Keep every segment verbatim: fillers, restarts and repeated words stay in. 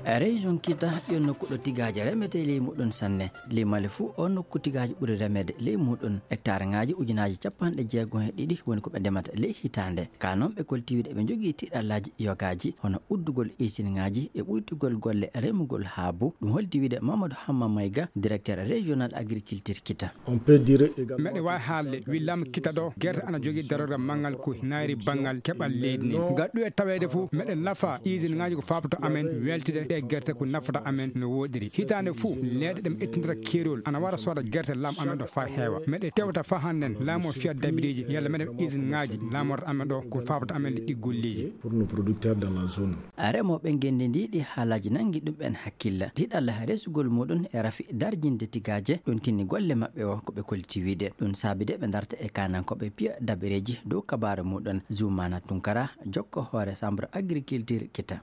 Région Kita, yo nokku ɗo tigaaje remetee ley muɗum sanne. Ley Mali fuu, o nokku tigaaje ɓuri remeede ley muɗum. Hectare ŋaaji ujunaaji capanɗe jeego e ɗiɗi woni ko ɓe ndemata ley hitaande. Ka noon ɓe kolti wiide ɓe njogii tiɗallaaji yogaaji, hono uddugol isinŋaaji e ɓuytugol golle remugol haabu. Ɗum holti wiide Mamadou Hamma Mayga, directeur régional agriculture Kita. On peut dire également meɗe waawi haalde wi laamu Kita ɗo, gerte ana jogii darorgal manngal ko naayri banngal keɓal leydi ndi. Ngal ɗum e taweede fof, meɗen nafa isinŋaaji ko faaboto amen weltide ɗe gerte ko nafata amen no wooɗiri. Hitaande fof, leeɗe ɗe mi ittindata keerol ana wara sooda gerte laamu amen ɗo faa heewa. Meɗe tewta faa hannden laamu o fiya dabireeji yalla meɗen isinŋaaji laamorta amen ɗo ko faaboto amen ɗi golleeji. Pour nos producteurs dans la zone. Remooɓe ngenndi ndi ɗi haalaaji nanngi ɗum en hakkille. Tiɗalla resugol muɗum e rafi darjinde tigaaje, ɗum tinni golle maɓɓe o ko ɓe kolliti wiide. Ɗum saabi de ɓe ndarta e kaanankooɓe piya dabireeji dow kabaaru muɗum. Zumaana Tunkara, jokko hoore Chambre Agriculture Kita.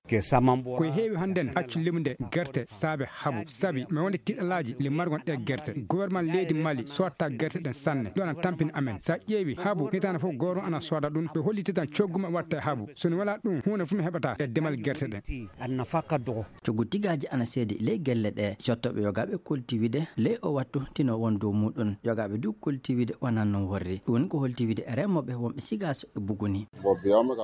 Ko heewi hannden accu limde gerte saabe habu. Sabi mi wonde tiɗalaaji le margon ɗe gerte. Gouvernement leydi Mali sotta gerte ɗen sanne. Ɗum ana tampini amen. Sa ƴeewi habu hitaande fof gooto ana sooda ɗum. Ɓe holliti tan coggu maɓɓe watta e habu. So ni wala ɗum, huunde fof mi heɓata e demal gerte ɗen. Coggu tigaaji ana seedi ley gelle ɗe. Cottooɓe yogaaɓe kolti wiide ley o wattu tino won dow muɗum. Yogaaɓe du kolti wiide wonaa noon worri. Ɗum woni ko holti wiide remooɓe wonɓe Sigaaso e Buguni.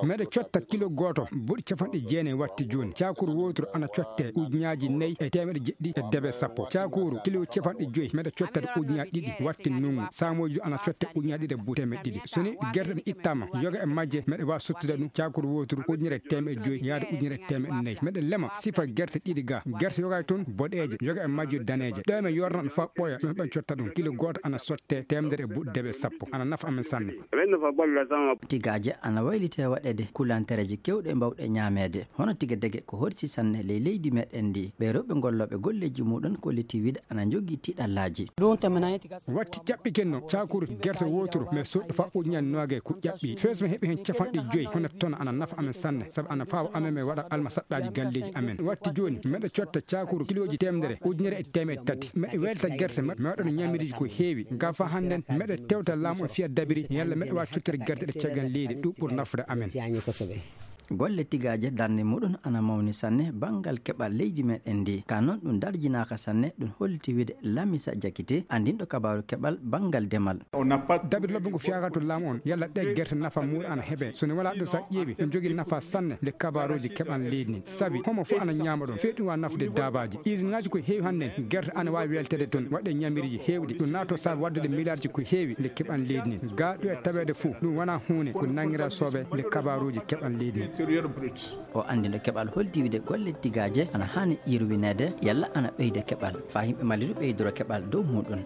Meɗe cotta kilo gooto buɗi capanɗe jeenayi watti jooni. Caakuru wooturu ana cotte ujunaaji nayi e teemeɗe jeɗɗi e debe sappo. Caakuru kilo capanɗe joyi meɗe cotta ujunaaji ɗiɗi watti ndunngu. Saamooji du ana cotte ujunaaji ɗiɗi e buɗi teemeɗe ɗiɗi. So ni gerte ɗe ittaama, yoga e majje meɗe waawi sottude ɗum caakuru wooturu ujunere e teemeɗe joyi yaade ujunere e teemeɗe nayi. Meɗe lema sifa gerte ɗiɗi ga. Gerte yoga e toon boɗeeje, yoga e majje daneeje. Ɗo men yorna ɗum faa ɓooya, ɗum heɓen cotta ɗum. Kilo gooto ana sotte teemedere e buɗi debe sappo. Ana nafa amen sanne. Tigaaje ana waylitee waɗeede kulantereeje keewɗe mbawɗe ñaameede. Hono tigi dege ko horsi sanne ley leydi meɗen ndi. Ɓee rewɓe gollooɓe golleeji muɗum kolliti wiide ana njogii tiɗallaaji. Watti ƴaɓɓi kenno caakuru gerte wooturu, mais soɗɗo faa ujunaaji noogay ko ƴaɓɓi. Fees mi heɓi heen capanɗe joyi, hono tono ana nafa amen sanne, sabu ana faawa amen mi waɗa almasaɗɗaaji galleeji amen. Watti jooni, meɗe cotta caakuru kilooji teemedere, ujunere e teemeɗe tati. Meɗe welta gerte maɓɓe, mi waɗa no ñamiriji ko heewi. Ga faa hannden, meɗe tewta laamu o fiya dabiri, yalla meɗe waawi cottude gerte ɗe caggal leydi, ɗum ɓuri nafude amen. Golle tigaaje darnde muɗum ana mawni sanne banngal keɓal leydi meɗen ndi. Ka noon ɗum darjinaaka sanne, ɗum holliti wiide Lamisa Jakite, anndinɗo kabaaru keɓal banngal demal. Dabir lobbe ngu fiyaka to laamu on, yalla ɗe gerte nafa muɗum ana heɓe. So ni wala ɗum sa ƴeewi, ɗum jogii nafa sanne nde kabaaruuji keɓal leydi ndi. Sabi, homo fof ana ñaama ɗum. Fii ɗum waawa nafude daabaaji. Isinaaji ko heewi hannden, gerte ana waawi weltede toon, waɗde ñamiriji heewɗi. Ɗum naato saabi waɗdude miliyaarji ko heewi nde keɓal leydi ndi. Ga ɗo e taweede fof, ɗum wonaa huunde ko nanngiraa soobe nde kabaaruuji keɓal leydi ndi. O anndino keɓal holti wiide golle tigaaje ana haani yirwineede, yalla ana ɓeyda keɓal, faa yimɓe Mali du ɓeydoro keɓal dow muɗum.